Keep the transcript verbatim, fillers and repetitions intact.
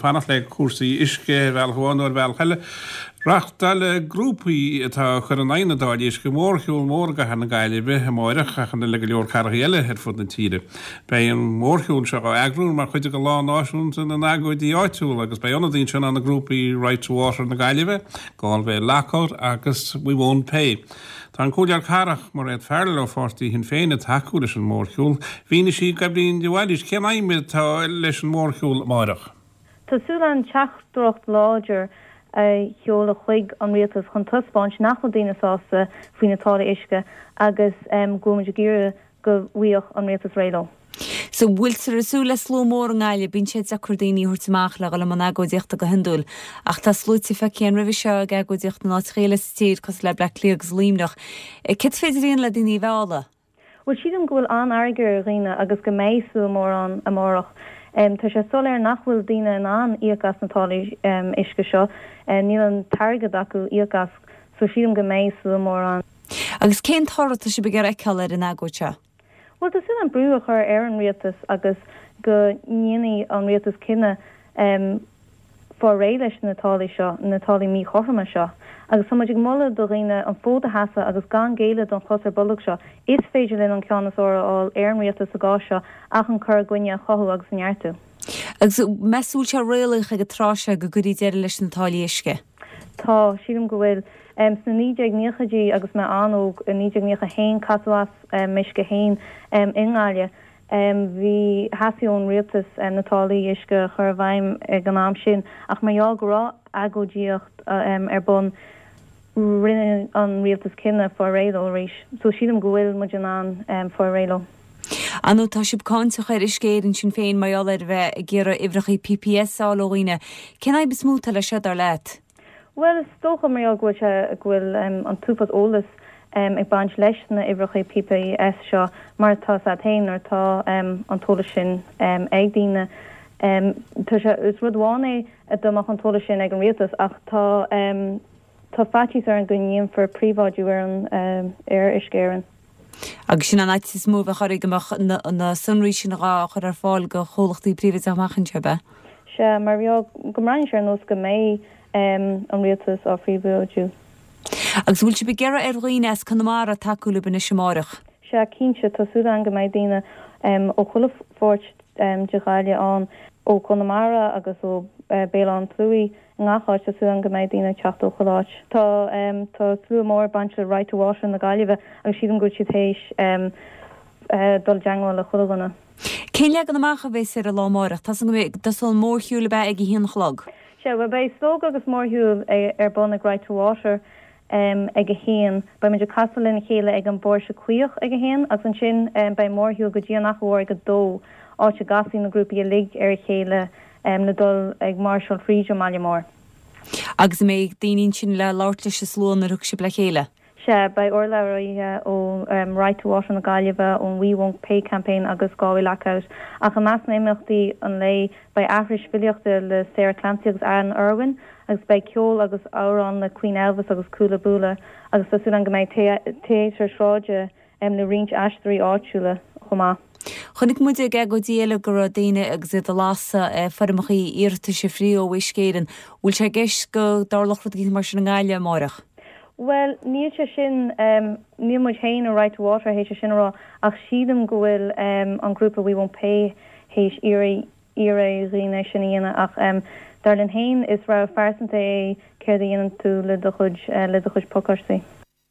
Fanacht le cúrsaí uisce ar bhealach amháin nó ar bhealach eile. Reáchtáil grúpaí atá ag cur in aghaidh na dtáillí uisce mórshiúl mór i gcathair na Gaillimhe amáireach ach an le go leor cathracha eile ar fud na tíre. Beidh an mórshiúl seo á eagrú mar chuid de lá náisiúnta na n-agóidí áitiúla agus beidh ionadaí ansin ó na grúpaí Right to Water na Gaillimhe, Galway Lockout agus We Won't Pay. Tá an Comhairleoir Cathrach Mairéad Farrell ó pháirtí Shinn Féin ag tacú leis an mórshiúl. Mhínigh sí d'Eibhlín de Bhailís cén aidhm atá leis an mórshiúl amáireach. Tá súil againn teachtaireacht láidir a sheoladh chuig an rialtas chun taispeáint nach bhfuil daoine sásta faoi na táillí uisce agus um, go bhfuil muid ag iarraidh go bhfaighidh an rialtas réidh leo. So bhfuiltear ag súil le slua mór i nGaillimh bíonn sé deacair daoine a thabhairt amach le dhul i mbun agóidíochta go hiondúil, ach tá sluaite feicthe roimhe seo ag agóidíocht in áiteacha eile sa tír cosúil le Bleá Cliath agus Luimneach. Cad is féidir le daoine a mhealladh? Well sílim go bhfuil an-fhearg ar dhaoine agus go mbeidh slua mór ann amárach. Um, tá sé soiléir nach bhfuil daoine in ann íoc as na táillí um, uisce seo, um, níl an t-airgead acu íoc as so sílim go mbeidh slua mór ann. Agus cén toradh atá sibh ag iarraidh a fheiceáil ar an agóid seo? Well tá súil againn brú a chur ar an rialtas agus go ndéanfaidh an rialtas cinneadh um, fáil réidh leis na táillí seo, na táillí míchothroma seo. Agus tá muid ag moladh do dhaoine an fód a sheasamh agus gan géilleadh don chos ar bolg seo. Is féidir linn an ceann is fearr a fháil ar an rialtas sa gcás seo ach an cur i gcoinne a chothú agus a neartú. Agus meas tú sé réalaíoch ag an tráth seo go gcuirfí deireadh leis na táillí uisce. Tá sílim go bhfuil um, sna naoi déag nóchaidí agus mé an-óg i naoi déag nócha haon casadh as um, m'uisce féin um, i nGaillimh. Um, bhí theastaigh ón rialtas um, na táillí uisce a chur i bhfeidhm ag an am sin ach mar gheall go raibh agóidíocht um, ar bun rinne an rialtas cinneadh fáil réidh leo arís. So sílim go bhfuil muid in ann um, fáil réidh leo. Anú tá sibh cáinteach ar Uisce Éireann sin féin mar gheall ar bheith ag iarraidh uimhreacha PPS a fháil ó dhaoine. Cén fhadhb is mó atá leis seo dar leat? Well is dócha mar go bhfuil sé go bhfuil um, an t-uafás eolas um, ag baint leis na uimhreacha PPS seo mar tá sa féin nuair tá um, an t-eolas sin um, ag daoine. Um, tá sé is rud amháin é a dá mbeadh an t-eolas sin ag an rialtas ach tá um, tá faitíos orainn go ndéanfar príobháidiú ar an um, ar Uisce Éireann. Agus sin an fhaitíos is mó a bheadh oraibh go mbeadh na, na sonraí sin á chur ar fáil go chomhlachtaí príobháideacha amach anseo be. Sea mar go mbreathnaíonn sé ar nós go mbeidh um, an rialtas á phríobháidiú. Agus bhfuil sibh ag iarraidh ar dhaoine as Conamara tacú libh anois amárach. Sea cinnte tá súil againn go mbeidh daoine um, ó chuile pháirt um, de Ghaillimh ann ó Chonamara agus ó uh, Béal Átha an tSlí ngach áit tá súil againn go mbeidh daoine teacht ó chuile áit. Tá um, tá slua mór baint le Right to Water na Gaillimhe agus sílim go bhfuil siad théis um, uh, dul i dteagmháil le chuile dhuine. Cén leagan amach a bheas ar an lá amárach Tá tá an mórshiúl be ag a haon a chlog. Sea well beidh slógadh agus mórshiúl ar bun ag Right to Water um, ag a haon, beidh muid ag casadh lena chéile ag an bPóirse Caoch ag a haon agus ansin um, beidh mórshiúl go dtí an Fhaiche Mhór ag a dó áit a gcasfaidh na grúpaí uilig ar a chéile um, le dul ag máirseáil fríd an mbaile mór. Agus mbeidh daoine ansin le labhairt leis an slua nuair a thiocfaidh sibh le chéile. Sea beidh urlabhraithe ó um, Right to Water na Gaillimhe ón We Won't Pay campaign agus Galway Lockout ach i measc na n-imeachtaí an lae beidh aithris filíochta le Sarah Clancy agus Anne Irwin agus beidh ceol agus amhrán le Queen Elvis agus Cúla Búla agus tá súil againn go mbeidh téatar sráide um, le roinnt aisteoirí áitiúla chomh maith. Chonaic muid ag agóidí eile go raibh daoine agus iad ag lasadh foirmeacha iarratais free ó Uisce Éireann, bhfuil sé i gceist go dtarlódh rud mar sin i nGaillimh amárach. Well níl sé sin um, níl muid féin ó Right to Water théis sin a rá ach sílim go bhfuil um, an grúpa We Won't Pay théis iarraidh iarraidh dhaoine sin a dhéanamh ach um, dar linn féin is rogha phearsanta é céard a dhéanann tú le do chuid uh, le do chuid pacáistí.